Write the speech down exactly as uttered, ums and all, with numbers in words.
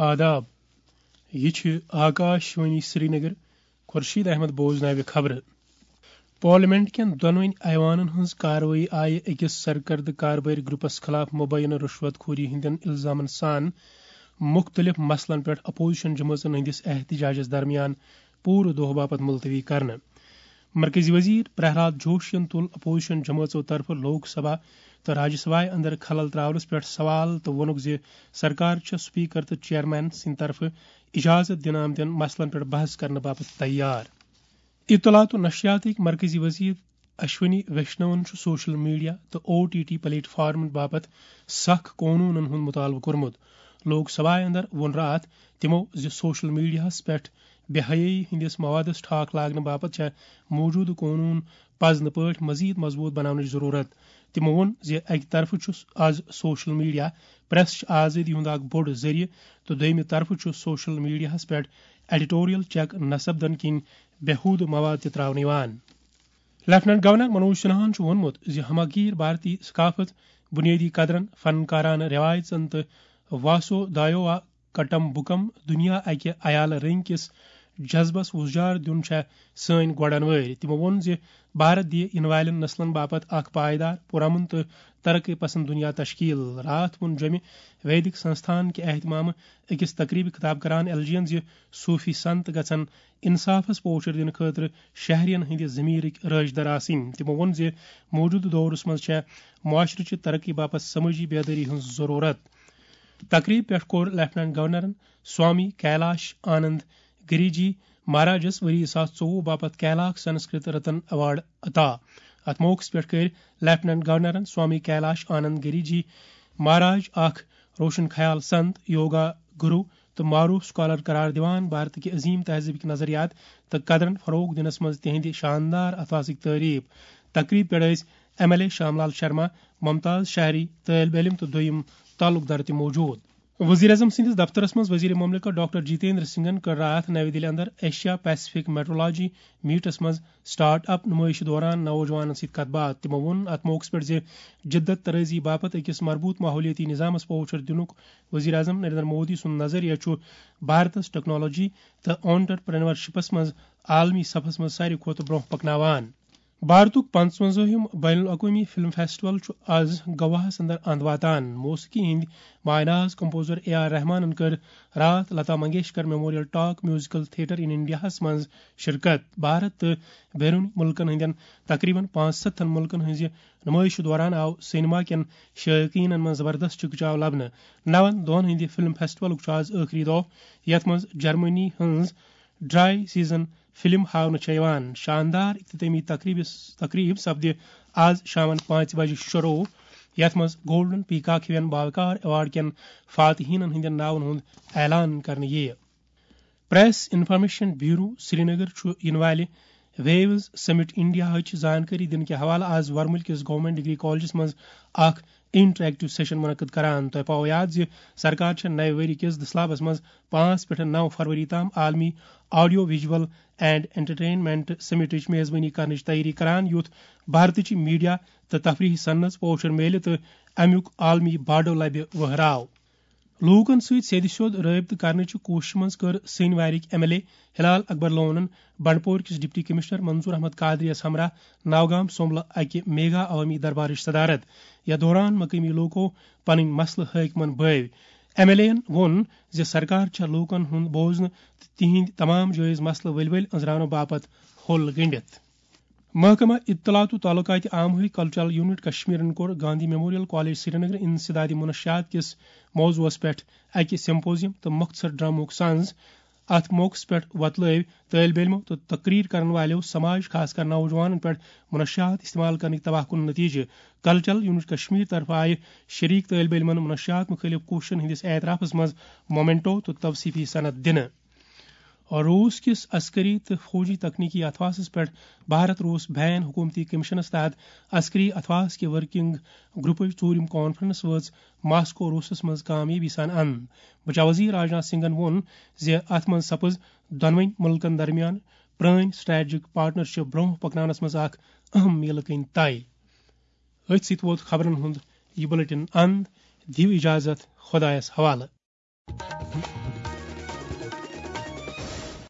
آداب۔ یہِ چھِ آکاش وانی سرینگر۔ خورشید احمد بوزناوِ خبرٕ۔ پارلیمنٹ کٮ۪ن دۄنوٕنۍ ایوانن ہٕنٛز کاروٲیی آیہِ أکِس سرکردٕ کاربٲرۍ گروپس خلاف مبینہ رشوت خوری ہٕنٛدٮ۪ن الزامن سان مُختٔلِف مسلن پٮ۪ٹھ اپوزیشن جمٲژن ہٕنٛدِس احتجاجس درمیان پوٗرٕ دۄہ باپتھ ملتوی کرنہٕ۔ مرکزی وزیر پرہلاد جوشین تُل اپوزیشن جمٲژو طرفہٕ لوک سبھا تہٕ راجیہ سبھایہ اندر خلل تراونس پٮ۪ٹھ سوال تہٕ ووٚنُکھ زِ سرکار چھےٚ سپیکر تہٕ چیئرمین سٕنٛدِ طرفہٕ اجازت دِنہٕ آمتٮ۪ن مسلن پٮ۪ٹھ بحث کرنہٕ باپتھ تیار۔ اطلاعات و نشریاتٕکۍ مرکزی وزیر اشونی ویشنون چھُ سوشل میڈیا تہٕ او ٹی ٹی پلیٹ فارمن باپتھ سخ قونوٗنن ہُنٛد مطالبہٕ کوٚرمُت۔ لوک سبھایہ اندر ووٚن راتھ تِمو زِ سوشل میڈیاہس پٮ۪ٹھ بے حیٲیی ہٕنٛدِس موادس ٹھاکھ لاگنہٕ باپتھ چھےٚ موٗجوٗدٕ قونوٗن پزنہٕ پٲٹھۍ مزید مضبوٗط بناونٕچ ضروٗرت۔ تِمو ووٚن زِ اکہِ طرفہٕ چھُ از سوشل میڈیا پریسٕچ آزٲدی ہُنٛد اکھ بوٚڑ ذٔریعہٕ تہٕ دوٚیمہِ طرفہٕ چھُ سوشل میڈیاہس پٮ۪ٹھ ایڈیٹوریل چیک نصب دن کِنۍ بے ہودٕ مواد تہِ تراونہٕ یِوان۔ لیفٹیننٹ گورنر منوج سنہاہن چھُ ووٚنمُت زِ ہماگیر بھارتی ثقافت، بنیٲدی قدرن، فنکارانہٕ رٮ۪وایژن تہٕ واسو دایوا کٹم بُکم دُنیا اکہِ عیالہٕ رٔنگۍ کِس جذبس وُزجار دیُن چھےٚ سٲنۍ گۄڈن وٲرۍ۔ تِمو ووٚن زِ بھارت دِیہِ یِنہٕ والٮ۪ن نسلن باپتھ اکھ پائیدار، پُرامن تہٕ ترقی پسند دُنیا تشکیل۔ راتھ ووٚن جوٚمہِ ویدک سنستھان کہِ اہتمامہٕ أکِس تقریبہِ خطاب کران ایل جی ین زِ صوفی سنت گژھن انصافس پوچھر دِنہٕ خٲطرٕ شہرین ہٕنٛدِ ضمیرٕکۍ رٲچھ در آسٕنۍ۔ تِمو ووٚن زِ موٗجوٗدٕ دورس منٛز چھےٚ معاشرٕچہِ ترقی باپتھ سمٲجی بیدٲری ہٕنٛز ضروٗرت۔ تقریب پٮ۪ٹھ کوٚر لیفٹیننٹ گورنرن سوامی کیلاش آنند گری جی مہاراجس ؤری زٕ ساس ژوٚوُہ باپتھ کیلاک سنسکرت رتن ایوارڈ عطا۔ اتھ موقعس پٮ۪ٹھ کٔرۍ لیفٹیننٹ گورنرن سوامی کیلاش آنند گری جی مہاراج اکھ روشن خیال سنت، یوگا گرو تہٕ معروف سکالر قرار دِوان بھارت کہِ عظیم تہذیب کہِ نظریات تہٕ قدرن فروغ دِنس منٛز تِہنٛدِ شاندار اثاثٕکۍ تعریف۔ تقریب پٮ۪ٹھ ٲسۍ ایم ایل اے شام لال شرما، ممتاز شہری، طٲلب علم تہٕ دوٚیِم تعلق دار تہِ موجود۔ وزیر اعظم سٕنٛدِس دفترس منٛز وزیر مملکت ڈاکٹر جتیندر سنگھن کٔر راتھ نَوِ دِلہِ اندر ایشیا پیسفک میٹرولوجی میٹس منٛز سٹارٹ اپ نمٲیشہِ دوران نوجوانن سۭتۍ کتھ باتھ۔ تِمو ووٚن اتھ موقعس پٮ۪ٹھ زِ جدت طرازی باپتھ أکِس مربوط ماحولیٲتی نظامس پوچھر دِنُک وزیر اعظم نریندر مودی سُنٛد نظریہ چھُ بھارتس ٹیکنالوجی تہٕ آنٹرپرینورشپس منٛز عالمی صفس منٛز ساروی کھۄتہٕ برونٛہہ پکناوان۔ بھارتُک پنٛژوَنزٲہِم بین الاقوٲمی فلم فیسٹیول چھُ از گواہس اندر اند واتان۔ موسیقی ہٕنٛدۍ مایناز کمپوزر اے آر رحمانن کٔر راتھ Lata Mangeshkar memorial talk musical theatre in انڈیاہس منٛز شرکت۔ بھارت تہٕ بیرون ملکن ہٕنٛدٮ۪ن تقریباً پانٛژھ ستتھن ملکن ہٕنٛزِ نمٲیشہِ دوران آو سینما کٮ۪ن شائقینن منٛز زبردست چکچاو لبنہٕ۔ نون دۄہن ہٕنٛدِ فلم فیسٹیولُک چھُ آز ٲخری دۄہ، یتھ منٛز جرمنی ہٕنٛز ڈرائی سیزن فلم ہاونہٕ چھےٚ یِوان۔ شاندار اختتٲمی تقریبس، تقریب سپدِ آز شامن پانٛژِ بجہِ شروع، یتھ منٛز گولڈن پیکاک ہِوٮ۪ن باوقار ایوارڈ کٮ۪ن فاتحینن ہٕنٛدٮ۪ن ناون ہُنٛد اعلان کرنہٕ یِیہِ۔ پریس انفارمیشن بیورو سرینگر چھُ یِنہٕ والہِ ویوز سمٹ انڈیاہٕچ زانکٲری دِنہٕ کہِ حوالہٕ آز ورمُل کِس گورنمنٹ ڈگری کالجس منٛز اکھ انٹریکٹو سیشن منعقد کران۔ تۄہہِ پاوو یاد زِ سرکار چھےٚ نَوِ ؤری کِس دسلابس منٛز پانٛژھ پٮ۪ٹھ نَو فروری تام عالمی آڈیو ویجول اینڈ انٹرٹینمنٹ سمٹٕچ میزبٲنی کرنٕچ تیٲری کران، یُتھ بھارتٕچ میڈیا تہٕ تفریحی صنعت پوچھر میلہِ تہٕ امیُک عالمی باڈو لبہِ وہراو۔ لوٗکن سۭتۍ سیٚدِ سیوٚد رٲبطہٕ کرنٕچہِ کوٗششہِ منٛز کٔر سٲنۍ وارِک ایم ایل اے ہلال اکبر لونن بنڈپور کِس ڈپٹی کمشنر منظور احمد قادری یس ہمراہ نوگام سوملہٕ اکہِ میگا عوٲمی دربارٕچ صدارت۔ یتھ دوران مقٲمی لوٗکو پنٕنۍ مسلہٕ حٲکمن بٲوۍ۔ ایم ایل اے یَن ووٚن زِ سرکار چھےٚ لوٗکن ہُنٛد بوزنہٕ تہٕ تِہنٛدۍ تمام جٲیز مسلہٕ ؤلۍ ؤلۍ أنٛزراونہٕ باپتھ ہوٚل گٔنٛڈِتھ۔ محکمہ اطلاعات و تعلقات عامہٕے کلچرل یونٹ کشمیرن کوٚر گاندھی میموریل کالج سرینگر انسدادی منشیات کِس موضوعس پٮ۪ٹھ اکہِ سمپوزیم تہٕ مختصر ڈرامہُک سنز۔ اتھ موقعس پٮ۪ٹھ وۄتلٲوۍ طٲلب علمو تہٕ تقریر کرن والٮ۪و سماج، خاص کر نوجوانن پٮ۪ٹھ منشیات استعمال کرنٕکۍ تباہ کُن نتیجہٕ۔ کلچرل یونٹ کشمیر طرفہٕ آیہِ شریک طٲلب علمن منشیات مُخٲلف کوٗششن ہٕنٛدِس اعترافس منٛز مومنٹو تہٕ توصیفی سند دِنہٕ۔ روس کِس عسکری تہٕ فوجی تکنیکی اتھواسس پٮ۪ٹھ بھارت روس بین حکومتی کمیشنس تحت عسکری اتھواس کہِ ورکنگ گروپٕچ ژوٗرِم کانفرنس وٲژ ماسکو روسس منٛز کامیٲبی سان اند۔ بچاو وزیر راجناتھ سنگھن ووٚن زِ اتھ منٛز سپٕز دۄنوٕنۍ مُلکن درمیان پرٲنۍ سٹریٹجک پارٹنرشپ برونٛہہ پکناونس منٛز اکھ اہم میلہٕ کٔنۍ طے۔ أتھۍ سۭتۍ ووت خبرن ہُنٛد یہِ بلیٹن اند۔ دِیِو اجازت، خۄدایس حوالہٕ۔